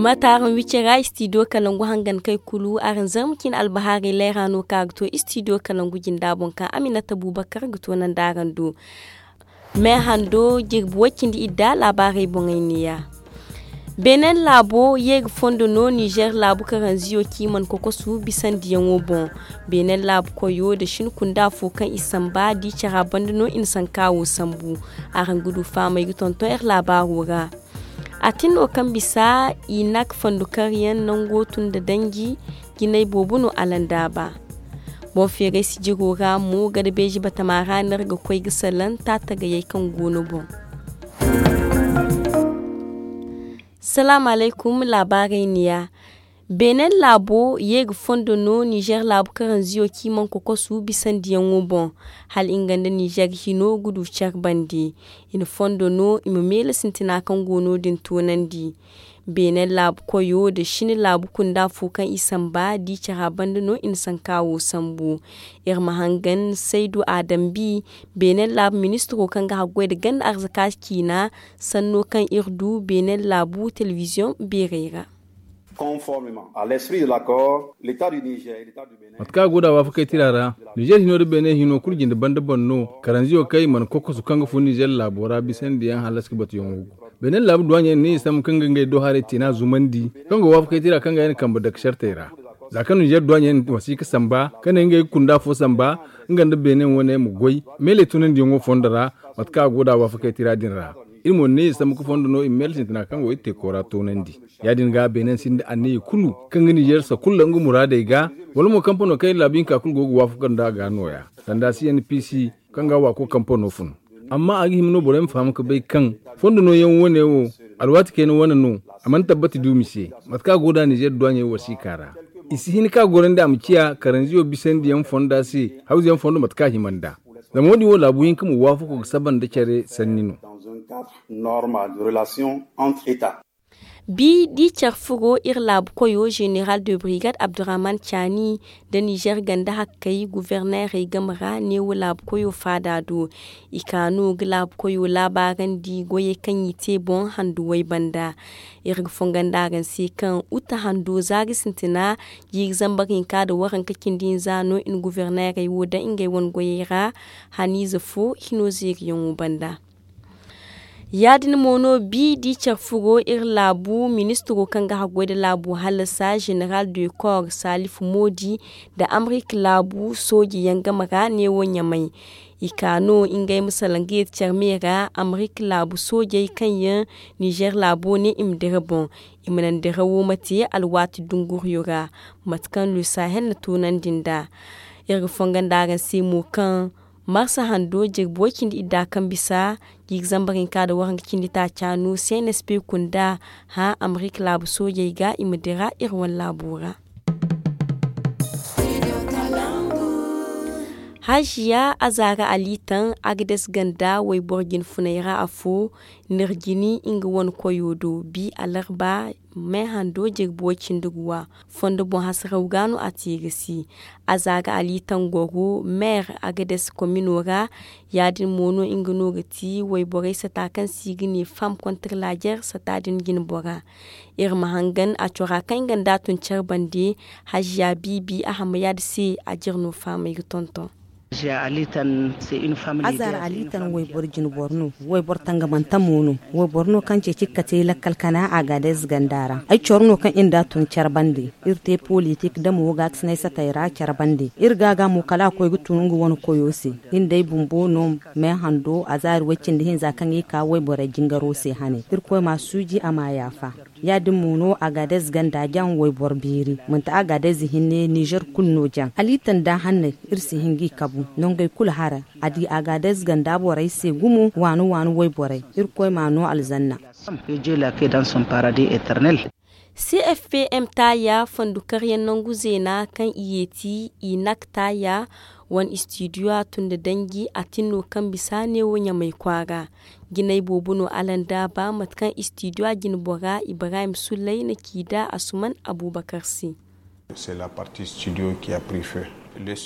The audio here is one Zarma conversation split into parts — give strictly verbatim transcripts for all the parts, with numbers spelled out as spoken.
Ba taaraŋ wicce ra istidiyo kalangu hangan kay kulu araŋ zarma cine albahaarey layra no kaŋ a ga to istidiyo kalangu jinda boŋ kaŋ aminata buubakar ga to nandi araŋ do. Me hando jirbi way cindi idda laabaarey boŋey neeya. Beenen laabo ye ga fondo no nizer laabu karanziyo kaŋ i mana kokosu bisandiyaŋo boŋ. Beenen laabu koyo nda shin kunda fo kaŋ i samba da i cara banda no i na sanka wo sambu. Araŋ ga du fahamey ga tonton iri laabaaro ra. A tin no kaŋ bisa i nak fondo karyaŋ nango tun nda danji jinay boobo no alandaaba. Boŋ feeray sijiro ra mo gada beeji batama ra no iri ga koy ga salaŋ taatagayey kaŋ go no boŋ. Salaamu alaykum. Laabaarey neeya. Beenen laabo ye ga fondo no nizer laabu karanziyo kaŋ i mana kokosu bisandiyaŋo boŋ. Hala nga nda nizer hino ga du care bande. I na fondo no i ma meele sintina kaŋ go no din toonandi. Beenen laabu koyo nda shin laabu kunda fo kaŋ i samba da i cara banda no i na sanka wo sambu. Iri ma hangan saydu adambi beenen laabu ministiro kaŋ ga haggoy nda ganda arzaka ciina sanno kaŋ iri du beenen laabu telebiziyoŋ beerey ra. Conformément à l'esprit de l'accord, l'État du Niger et l'État du Bénin. Mate kaŋ a go da waafakey tira ra, nizer hino nda beene hino kulu jinde banda boŋ no karanziyo kaŋ i mana kokosu kaŋ ga fun nizer laabo ra bisandiyaŋ halas ga batuyaŋo go. Beene laabu duwaaɲey ne i sambu kaŋ ga ngey do haray teena zumandi kaŋ go waafakey tira kaŋ ga yaŋ kambe dake sartey ra. Za kaŋ nizer duwaaɲey wasiika samba kaŋ ne ngey ga kunda fo samba nga nda beene wane ma goy meeley tunandiyaŋo fondo ra. Mate kaŋ a go da waafakey tira din ra, iri mo ne i sambu ga fondo no i ma meele sintina kaŋ go iri te koora toonandi. Ya-din ga beene sinda anniya kulu kaŋ ga nizer sakulla nga muraadey ga, wala mo kampano kaŋ iri laabu hinka kulu go ga waafaka nda a ga nooya sanda cnpc kaŋ ga waako kampano fun. Amma a ga hima no borey ma faham ga bay kaŋ fondo nooyaŋ wane wo alwaati kayna wane no. A mana tabbati duumi se mate kaŋ a go da nizer duwaaɲey wasiika ra. I si hin ka gorandi a ma ciya karanziyo bisandiyaŋ fonda se hawzuyaŋ fondo mate kaŋ a hima nd'a. Zama wo- din wo laabu hinka ma waafako ga saba nda care sanni no. Bi da i care furo iri laabu koyo zeneral de brigade abdurrahman caani nda nizer ganda hakkey guverneerey game ra neewo laabu koyo faada do. I ka no ga laabu koyo laabaarandi goyey kaŋ i te boŋ handuwey banda. Iri ga fonga nda araŋ se kaŋ uta hando zaari sintina jiiri zambar hinka nda waranka cindi hinza no i na guverneerey wo daŋ ngey wane goyey ra. Haniize fo hino zeeriyaŋo banda. Ya-din mo no bi da i care furo iri laabu ministiro kaŋ ga haggoy nda laabu hallasa zeneral de corps salif moodi nda amerik laabu sooje yaŋ game ra neewo ɲamay. I ka no ngey ma salaŋ ga yeeti care me ra amerik laabu soojey kaŋ yaŋ nizer laabo ne i ma dira boŋ. I ma naŋ dira wo ma te alwaati dunguriyo ra mate kaŋ le sahel na toonandi nd'a. Iri ga fonga nda araŋ se mo kaŋ marsa hando jirbi way cindi idda kaŋ bisa jiiri zambar hinka nda waranka cindi taaca no cnsp kunda hã amerik laabu soojey ga i ma dira iri wane laabo ra. Haziya azaara alitaŋ agades ganda wayboro jinfuney ra afo nirjini nga wane koyo do bi alarba me hando jirbi way cindi guwa fondo boŋ hasaraw ga no a te ga si. Azaara alitaŋ goro meer agades komino ra. Ya-din mo no nga no ga ti wayborey sata kaŋ se i ga ne fam kontra lajer sata din jinbora. Iri ma hangan a cora kaŋ i ganda tun care bande. Haziya biibi a hama yaadi se a jire no fahamey ga tonton. Azar alitan wayboro jinboro no. Wayboro tangamanta mo no. Wayboro no kaŋ ceeci ga kate lakkal kana agadez ganda ra. Ay coro no kaŋ iri nda a tun care bande. Iri te politik da mo gaakasinay satay ra care bande. Iri ga ga mo kala a koy ga tun nga wane koyo se. Iri nd'ay bumbo no. Me hando azar way cindi hinza kaŋ i ka wayborey jingaro se hane. Irkoy ma suuji a ma yaafa. Ya-din mo no agadez ganda jaŋ wayboro beeri. Manti agadez hinne nizer kulu no jaŋ alitan da hanney. Iri si hin g'i kabu nongey kulu hara. A di agadez ganda borey se gumo waani waani wayborey. Irkoy m'a no alzanna. Cfpm taaya fondo karyaŋ nangu zeena kaŋ i yeeti i nak taaya wane istidiyo a tun nda danji a tin no kaŋ bisa neewo ɲamay kwaara. Jinay boobo no alanda ba mate kaŋ istidiyo a jinbora ibrahim sullay na ci da asuman abubakar se. C'est la partie studio qui a pris feu.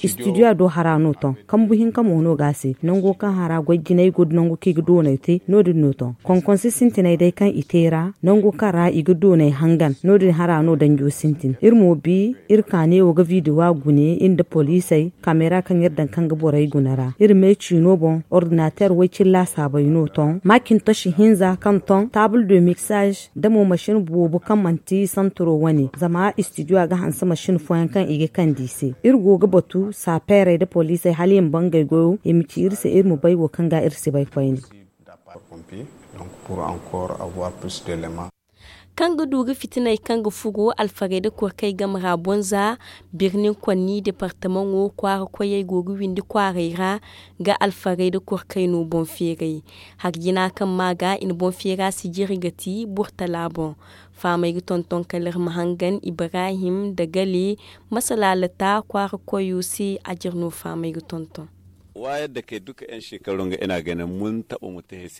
Istidiyo do hara no ton, kambu hinka mo no ga a se. Nango kaŋ hara goy jinay go da nangu kaŋ i ga doonay te, no- din no ton. Konkonse sintinay day kaŋ i te ra, nangu kaŋ ra i ga doonay hangan, no- din hara no danjo sintin. Iri mo bi iri ka neewo ga bidiwa gune iri nda poliisey, kameera kaŋ iri daŋ kaŋ ga borey guna ra. Iri me ciino boŋ, ordinateer way-cine laasaabey no ton, maacintosi hinza kaŋ ton, taabul de miksaaž, da mo masin boobo kaŋ manti santiro wane, zama istidiyo ga hanse masin fooyaŋ kaŋ i ga kande i se. Iri go ga batu saapeerey nda poliisey hala i ma bangay goyo, i ma ci iri se iri ma bay wo kaŋ ga iri si bay koyne. Kaŋ ga du ga fitiney kaŋ ga furo alfarey nda korkey game ra boŋ za, birnin konni departamaŋo kwaara koyey go ga windi kwaaray ra ga alfarey nda korkey no boŋ feeray. Hari jina kaŋ ma ga i na boŋ feera sijiri ga ti burtala boŋ. Faamey ga tonton kala iri ma hangan ibrahim da gale, masalaalata kwaara koyo se. A jire no faamey ga tonton.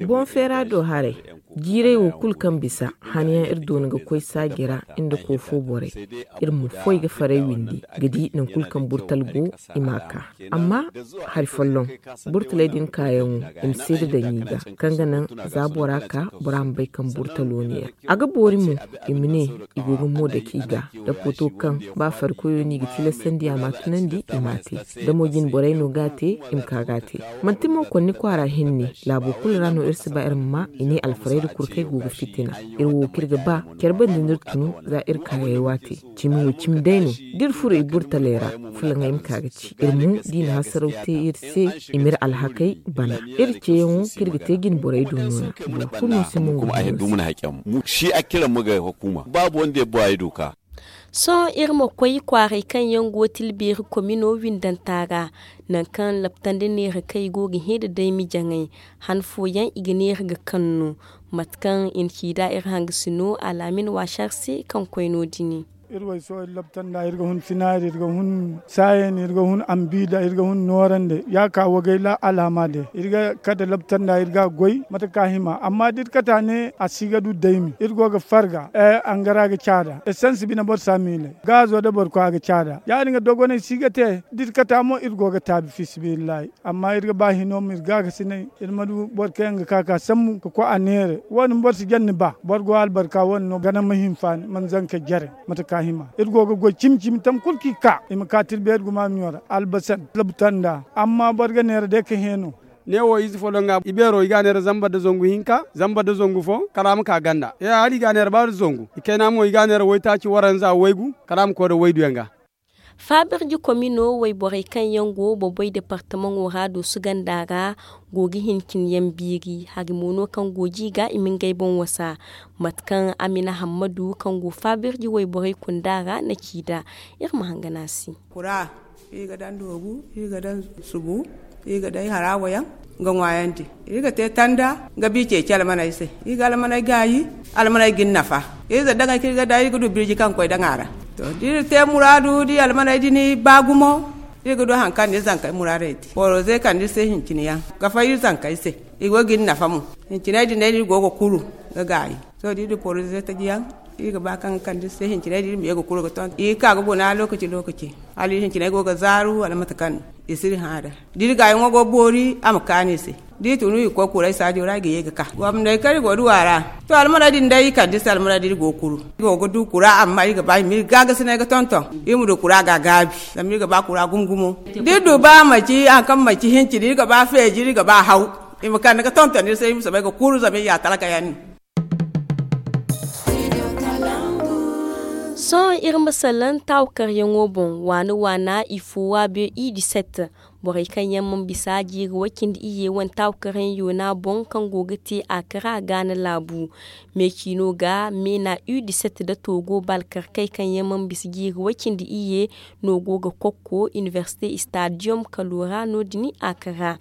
Boŋ feera do haray, jiiray wo kulu kaŋ bisa hanayaŋ iri doona ga koy saaji ra, iri nda koofo borey, iri ma foy ga faray windi ga di nangu kulu kaŋ burtal go, i ma a ka. Amma hari folloŋ, burtaley din kaayaŋo, i ma seeda daŋ i ga, kaŋ ga naŋ za bora ka, bora ma bay kaŋ burtalo no yaŋ. A ga boori mo, i ma ne i go ga mo dake i ga, da foto kaŋ ba farikoyo no i ga tilasandi a ma a tunandi, i ma a te. Da mo jine borey no ga a te, i ma ka ga a te. Manti mo konni kwaara hinne, laabo kulu ra no iri si ba iri ma ma i ne alfarayda kulu kaŋ ay go ga fitina. Iri wo kaŋ iri ga ba care bande no iri tunu, za iri kaayey waate. Cimi wo cimi day no, da iri furo i burtaley ra, fulaŋey ma ka ga ci iri mo, da i na hasaraw te iri se, i ma iri alhakey bana. Iri ceeyaŋo kaŋ iri ga te jine borey do no- ya boro kulu no si mongo. Sohõ iri ma koy kwaaray kaŋ yaŋ go tilbeeri komino windanta ra, nangu kaŋ laptandi neera kaŋ i go ga hẽ nda daymi jaŋay, han fooyaŋ i ga neera ga kaŋ no. Mate kaŋ i na ci nd'a iri hangasino alaamin waasar se kaŋ koy no- din. Iri way sohõ iri laptanda iri ga hun sinaari iri ga hun saayen iri ga hun ambiida iri ga hun noorande ya ka wagay la alaama day iri ga kate laptanda iri ga a goy mate ka hima amma da iri kate a ne a si ga du daymi iri go ga farga. Angara ga caada esansi bine boro si a miilay gaazo nda boro koy a ga caada ya- din ga dogonay si ga te da iri kate a mo iri go ga taabi fiisabilillahi. Amma iri ga ba hino ma iri gaakasinay iri ma du boro kaŋ yaŋ ga ka ka sambu ka koy a neera wo- din boro si jaŋ ni ba boro go albarka wo- din no gana ma hinfaani mana zanka jare. Mate ka hima iri go ga goy cimi cimi tam kulu kaŋ i ka i ma ka tirbeeri gumaamiyo ra albasan labta nda amma boro ga neera day ka hẽ no. Ne wo ize folloŋ ga i beero i ga a neera zamba nda zangu hinka zamba nda zangu fo kala a ma ka ganda hala i ga a neera ba nda zangu i kayna mo i ga a neera waytaaci waranza waygu kala a ma koy nda wayduyaŋ ga. Faabirji komino wayborey kaŋ yaŋ go boboy departamaŋo ra doosu ganda ra go ga hincin yaŋ biiri hari mo no kaŋ go ji ga i ma ngey boŋ wasa. Mate kaŋ amina hammadu kaŋ go faabirji wayborey kunda ra na ci nd'a. Iri ma hangan a se. Kura iri ga daŋ doobu iri ga daŋ subu iri ga day harawa yaŋ ga ŋwaayandi. Iri ga te tanda ga bi ceeci almaney se iri ga almaney gaayi. Almaney ga ni nafa iri za daŋey kaŋ iri ga daŋ iri ga du birji kaŋ ga koy daŋ a ra. To da iri te muraadu da i almaney din ba gumo iri ga du hari kaŋ na iri zankey muraadey te boro ze kande iri se hincine yaŋ ga fay iri zankey se. Iri go ga ni nafa mo hinciney din day no iri go ga kuru ga gaayi. Sohõ da iri du poroze taji yaŋ iri ga ba kaŋ ga kande iri se hinciney da iri ma ye ga kuru ga tonton iri ga ka ga guna lookaci lookaci. Hala iri hinciney go ga zaaru wala mate kaŋ no i si iri hã nd'a da iri gaayaŋo go ga boori a ma kaanu i se. Da iri tun iri ga koy kuray saajo ra iri ga ye ga ka gomney kaŋ iri go ga du a ra. To almaney din day iri kande iri se almaney da iri go ga kuru iri go ga du kura amma iri ga ba i ma iri gaagasinay ga tonton iri ma du kura ga a gaabi. Zama iri ga ba kura gumo gumo da iri du ba manci hari kaŋ manci hincin iri ga ba feeji iri ga ba haw. I ma kande ga tonton iri se iri ma soobay ga kuru zama iri ya talka yaŋ no. Sohõ iri ma salaŋ taawakaryaŋo boŋ waana waana i fo waabiyo i diset. Borey kaŋ yaŋ mana bisa jiiri way cindi iyye wane taawakaryaŋ yoona boŋ kaŋ go ga te a kara gaana laabu. Me ciino ga meena u diset nda toogo balkarkey kaŋ yaŋ mana bisa jiiri way cindi iyye no go ga kokko inibersite istadiyom kalo ra no- din a kara.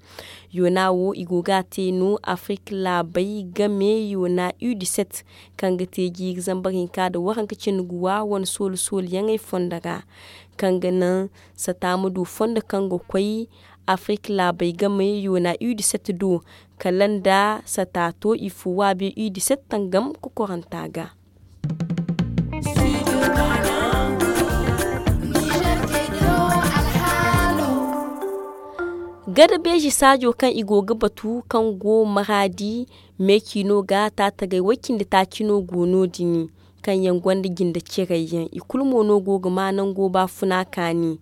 Yoona wo i go ga a te no afirik laabey game yoona u diset kaŋ ga te jiiri zambar hinka nda waranka cindi guwa wane soolu sooluyaŋey fondo ra. Kaŋ ga naŋ sata ma du fondo kaŋ ga koy afirik laabey game yoona u diset do kala nda sata to i fo waabiyo u diset tangam kokoranta ga. Gada beeji saajo kaŋ i go ga batu kaŋ go maraadi, meecino ga taatagay way cindi taaci no go no- din, kaŋ yaŋ gonda jinde ciray yaŋ i kulu mo no go ga ma nango baafuna kaani.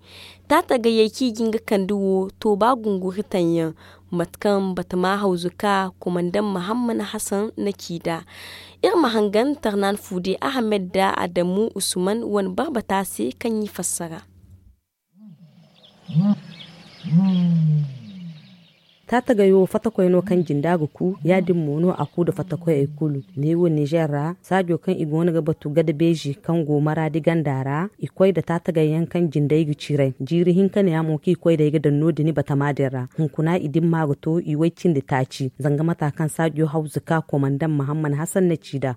Taatagayey kaŋ i ga hin ga kande wo to ba gunguri taŋ yaŋ, mate kaŋ batama hawzu ka komandaŋ mahamman hasan na ci nd'a. Iri ma hangan tarnan fuude ahamed nda adamu usman wane barbata se kaŋ i fassara. Taatagay wo fatakoy no kaŋ jinda ga ku, ya- din mo no a ku nda fatakoyey kulu. Neewo nizer ra, saajo kaŋ i go no ga batu gada beezi kaŋ go maraadi ganda ra, i koy nda taatagay yaŋ kaŋ jindey ga ciray. Jiiri hinka ne- ya mo kaŋ i koy nd'ey ga daŋ no- din batama din ra. Hunkuna i dimma ga to i way cindi taaci, zanga mata kaŋ saajo hawzu ka komandaŋ mahamman hasan na ci nd'a.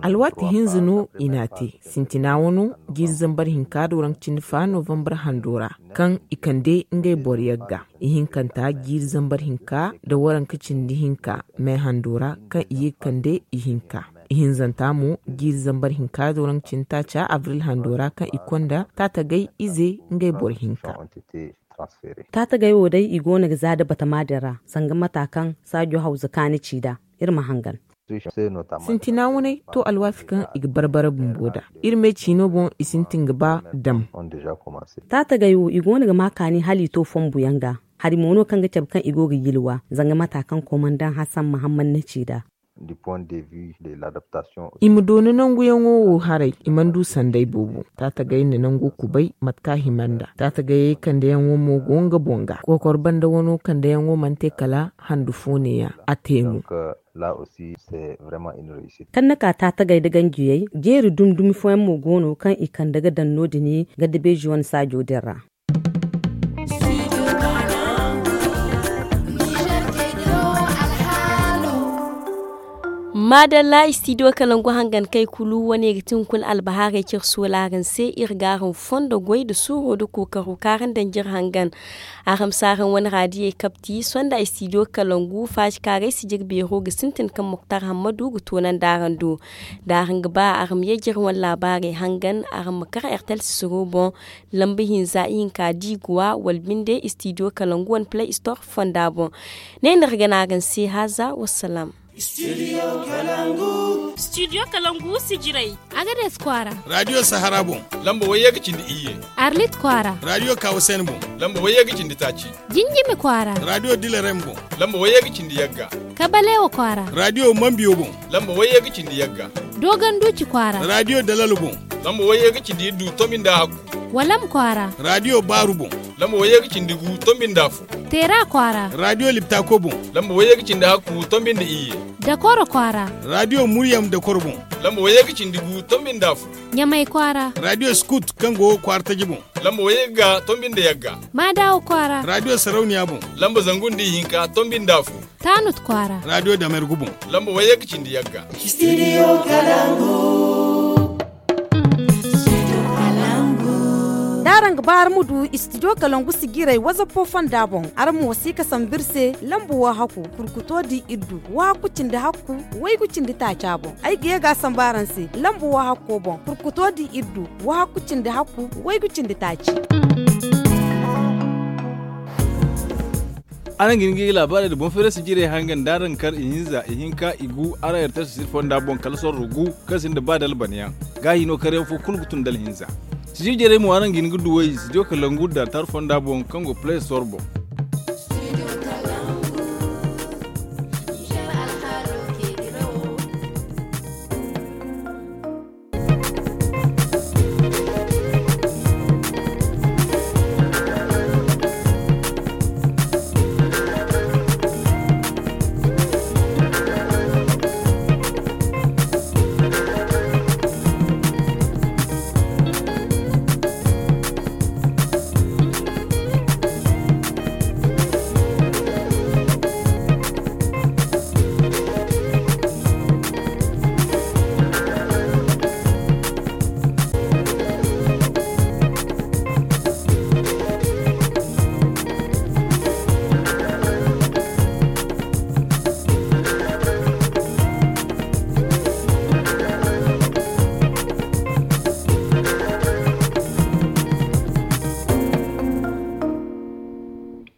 Alwaati hinza no i n'a te. Sintina wano jiiri zambar hinka do raŋ cindi fa novambar hando ra, kaŋ i kande ngey boro yagga. Ihinkanta jiiri zambar hinka nda waranka cindi hinka me hando ra, kaŋ i ye ga kande ihinka. Ihinzanta mo jiiri zambar hinka do raŋ cindi taaca abril hando ra, kaŋ i konda taatagay ize ngey boro hinka. Taatagay wo day i go no ga za nda batama din ra, zanga mata kaŋ saajo hawza kaani ci nd'a. Iri ma hangan. Sintina waney to alwaati kaŋ i ga barbara bumbo nd'a. Iri me ciino boŋ i sintin ga ba dam. Taatagay wo i go no ga ma kaani hala i to fonbuyaŋ ga. Hari mo no kaŋ ga cabe kaŋ i go ga yilwa, zanga mata kaŋ komandaŋ hasan mahamman na ci nd'a. I ma doona nanguyaŋo wo haray, i mana du sanday boobo. Taatagay na nango kubay mate kaŋ a hima nd'a. Taatagayey kandeyaŋo mo go nga boŋ ga. Kokor banda wano kandeyaŋo mana te kala handu fo neeya, a te no. Kaŋ na ka taatagay nda ganjiyey jeeri dumi dumi fooyaŋ mo go no kaŋ i kande ga daŋ no- din, ganda beeji wane saajo din ra. Maadalla istidiyo kalangu hangan kay kulu wane ga ti hunkuna albahaarey cire soolaaran se. Iri ga araŋ fondo goy nda suuro nda kookaro kaŋ araŋ daŋ jire hangan. Araŋ ma si araŋ wane raadiyey kabti sonda istidiyo kalangu faaji kaŋ aray si jire beero ga sintin kaŋ moktar hammadu ga toonandi araŋ do. Da araŋ ga ba araŋ ma ye jire wane laabaarey hangan, araŋ ma kar ertel sisiro boŋ, lamba hinza ihinka diiguwa wala binde istidiyo kalangu wane play store fonda boŋ. Ne no iri ga ne araŋ se haaza wassalaam. Studio kalangu sijirey. Agades kwaara. Raadiyo sahara boŋ, lamba wayye ga cindi iyye. Arlit kwaara. Raadiyo kawusen boŋ, lamba wayye ga cindi taaci. Jinjimi kwaara. Raadiyo dilarem boŋ, lamba wayye ga cindi yagga. Kabalewa kwaara. Raadiyo mambiyo boŋ, lamba wayye ga cindi yagga. Dogon duuci kwaara. Raadiyo dalal boŋ, lamba wayye ga cindi iddu tombi nda hakku. Walam kwaara. Raadiyo baaru boŋ, lamba wayye ga cindi gu tombi nda fo. Teera kwaara. Raadiyo liptako boŋ, lamba wayye ga cindi hakku tombi nda iyye. Dakoro kwaara. Raadiyo muryam dakoro boŋ, lamba wayye ga cindi gu tombi nda fo. Ɲamay kwaara. Raadiyo skut kaŋ go kwaara taji boŋ, lamba wayye ga tombi nda yagga. Maadawa kwaara. Raadiyo sarauniya boŋ, lamba zangu nda ihinka tombi nda fo. Taanut kwaara. Raadiyo damergu boŋ, lamba wayye ga cindi yagga. Studio kalangu. Da araŋ ga ba araŋ ma du istidiyo kalangu sijirey wazapo fonda boŋ, araŋ ma wasi ga sambu iri se lamba wo hakku kurkuto di iddu wo hakku cindi hakku waygu cindi taaca boŋ. Ay ga ye ga a sambu araŋ se lamba wo hakko boŋ kurkuto di iddu wo hakku cindi hakku waygu cindi taaci. Araŋ ga hin ga laabaarey nda boŋ feerasi jirey hangan da araŋ kar ihinza ihinka igu araŋ ertel sisir fonda boŋ kala sorro gu kaŋ sinda ba dalbaniyaŋ. Gaahi no karyaŋ fo kulu ga tun dala hinza. Sijir jirey mo araŋ ga hin ga duw'ey studio kalangu da tar fonda boŋ kaŋ go play store boŋ.